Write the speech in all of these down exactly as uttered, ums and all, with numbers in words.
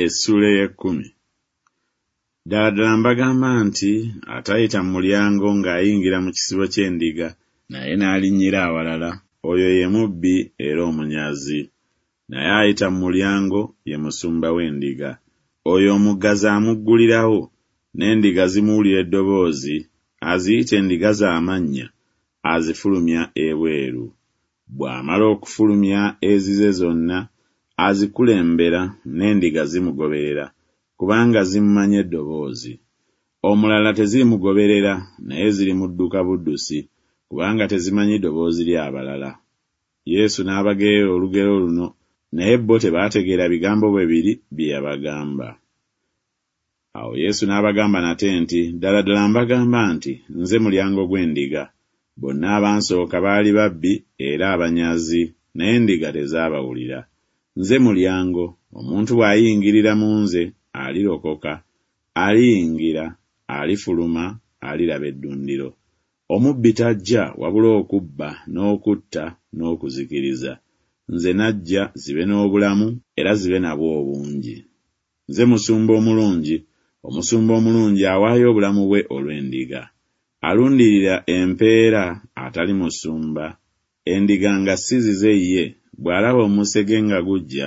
Essuula ey'ekkumi. Ddala ddala mbagamba nti atayita mu mulyango ng'ayingira mu kisibo ky'endiga, naye n'alinnyira awalala, oyo ye mubbi era omunyazi. Naye ayita mu mulyango ye musumba w'endiga. Oyo omuggazi amuggulirawo, n'endiga zimuwulira eddoboozi, aziyita endiga ze amannya, azifulumya ebweru. Bw'amala okufulumya ezize zonna, azikulembera, n'endiga zimugoberera, kubanga zimumanyi eddoboozi. Omulala tezirimugoberera, naye zirimudduka buddusi, kubanga tezimanyi ddoboozi ly'abalala. Yesu n'abagerera olugero luno, naye bo tebaategeera bigambo bwe biri bye yabagamba. Awo Yesu n'abagamba nate nti, Ddala ddala mbagamba nti, nze mulyango gw'endiga. Bonna abansooka baali babbi era abanyazi, naye endiga tezaabawulira. Nze mulyango, omuntu bw'ayingirira mu nze alirokoka, aliyingira, alifuluma, aliraba eddundiro. Omubbi tajja wabula okubba n'okutta n'okuzikiriza. Nze najja zibe n'obulamu era zibe nabwo obungi. Nze musumba omulungi, omusumba omulungi awaayo obulamu bwe olw'endiga. Alundirira empeera atali musumba, endiga nga si zize ye, bw'alaba omusege nga gujja,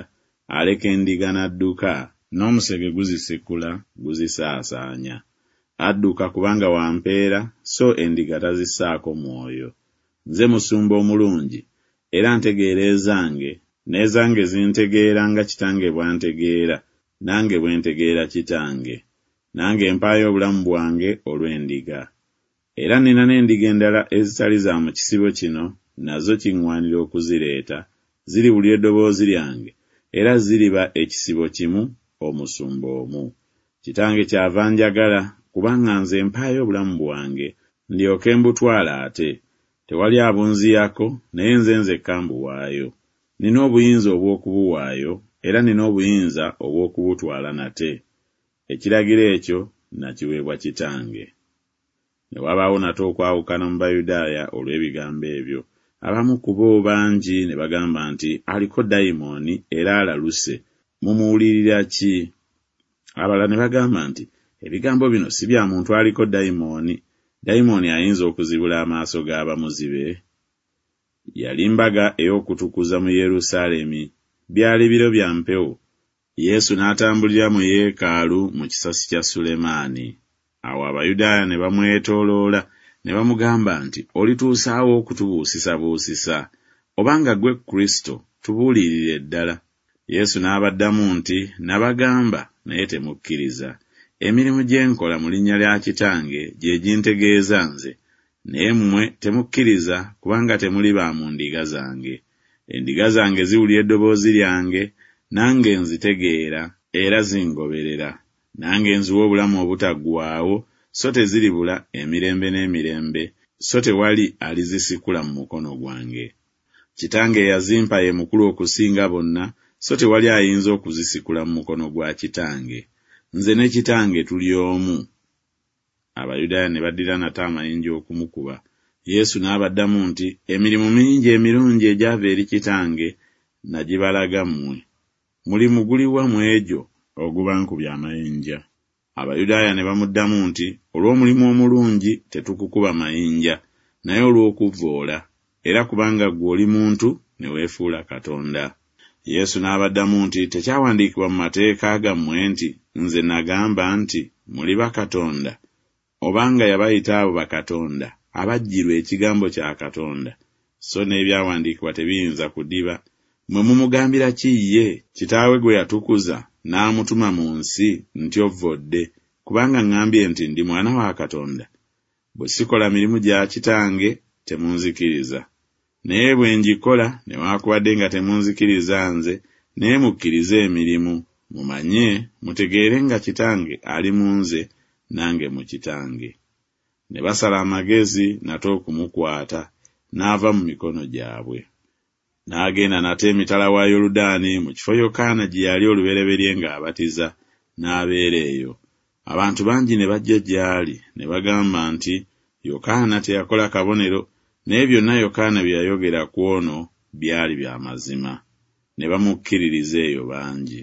aleka endiga n'adduka, n'omusege guzisikula guzisaasaanya. Adduka kubanga wa mpeera, so endiga tazissaako mwoyo. Nze musumba omulungi, era ntegeera ezange, n'ezange zintegeera nga Kitange bw'antegeera, nange bwe ntegeera Kitange. Nange mpaayo obulamu bwange olw'endiga. Era nnina n'endiga endala ezitali za mu kisibo kino, nazo kiŋŋwanira okuzireeta, ziriwulira eddoboozi lyange, era ziriba ekisibo kimu, omusumba omu. Kitange kyava anjagala, kubanga nze mpaayo obulamu bwange, ndyoke mbutwale ate. Tewali abunziyako, naye nze nzekka mbuwaayo. Nnina obuyinza obw'okubuwaayo, era nnina obuyinza obw'okubutwala nate. Ekiragiro ekyo nakiweebwa Kitange. Ne wabaawo nate okwawukana mu Bayudaaya olw'ebigambo ebyo. Abamu ku bo bangi ne bagamba nti, aliko dayimooni era alaluse, mumuwulirira ki? Abalala ne bagamba nti, ebigambo bino si bya muntu aliko dayimooni. Dayimooni ayinza okuzibula amaaso g'abamuzibe? Yali mbaga ey'okutukuza mu Yerusaalemi. Byali biro bya mpewo. Yesu n'atambulira mu yeekaalu mu kisasi kya Sulemaani. Awo Abayudaaya ne bamwetooloola ne bamugamba nti, olituusaawo okutubuusisabuusisa? Obanga ggwe Kristo, tubuulirire ddala. Yesu n'abaddamu nti, nabagamba, naye temukkiriza. Emirimu gye nkola mu linnya lya Kitange gye gintegeeza nze, naye mmwe temukkiriza kubanga temuli ba mu ndiga zange. Endiga zange ziwulira eddoboozi lyange, nange nzitegeera, era zingoberera. Nange nziwa obulamu obutaggwaawo, so teziribula emirembe n'emirembe, so tewali alizisikula mu mukono gwange. Kitange eyazimpa ye mukulu okusinga bonna, so tewali ayinza okuzisikula mu mukono gwa Kitange. Nze ne Kitange tuli omu. Abayudaaya ne baddira nate amayinja okumukuba. Yesu n'abaddamu nti, emirimu mingi emirungi egyava eri Kitange nagibalaga mmwe. Mulimu guliwa mu egyo ogubankubye amayinja? Abayudaaya ne bamuddamu nti, olw'omulimu omulungi tetukukuba mayinja, naye olw'okuvvoola, era kubanga ggwe oli muntu ne weefuula Katonda. Yesu n'abaddamu nti, tekyawandiikibwa mu mateeka gammwe nti, nze nagamba nti, muli bakatonda? Obanga yabayita abo bakatonda, abajjirwa ekigambo kya Katonda, so n'ebyawandiikibwa tebiyinza kudiba, mmwe mumugambira ki ye, Kitaawe gwe yatukuza, n'amutuma mu nsi, nti ovvodde, kubanga ŋŋambye nti ndi mwana wa Katonda? Bwe sikola mirimu gya Kitange, temunzikiriza. Naye bwe ngikola, newaakubadde nga temunzikiriza nze, naye mukkirize emirimu, mumanye, mutegeere nga Kitange ali mu nze, nange mu Kitange. Ne basala amagezi nate okumukwata, n'ava mu mikono gyabwe. N'agenda nate emitala wa Yoludaani mu kifo Yokaana gye yali olubereberye ng'abatiza, n'abeera eyo. Abantu bangi ne bajja gy'ali, ne bagamba nti, Yokaana teyakola kabonero, naye byonna Yokaana bye yayogera ku ono byali bya mazima. Ne bamukkiririza eyo bangi.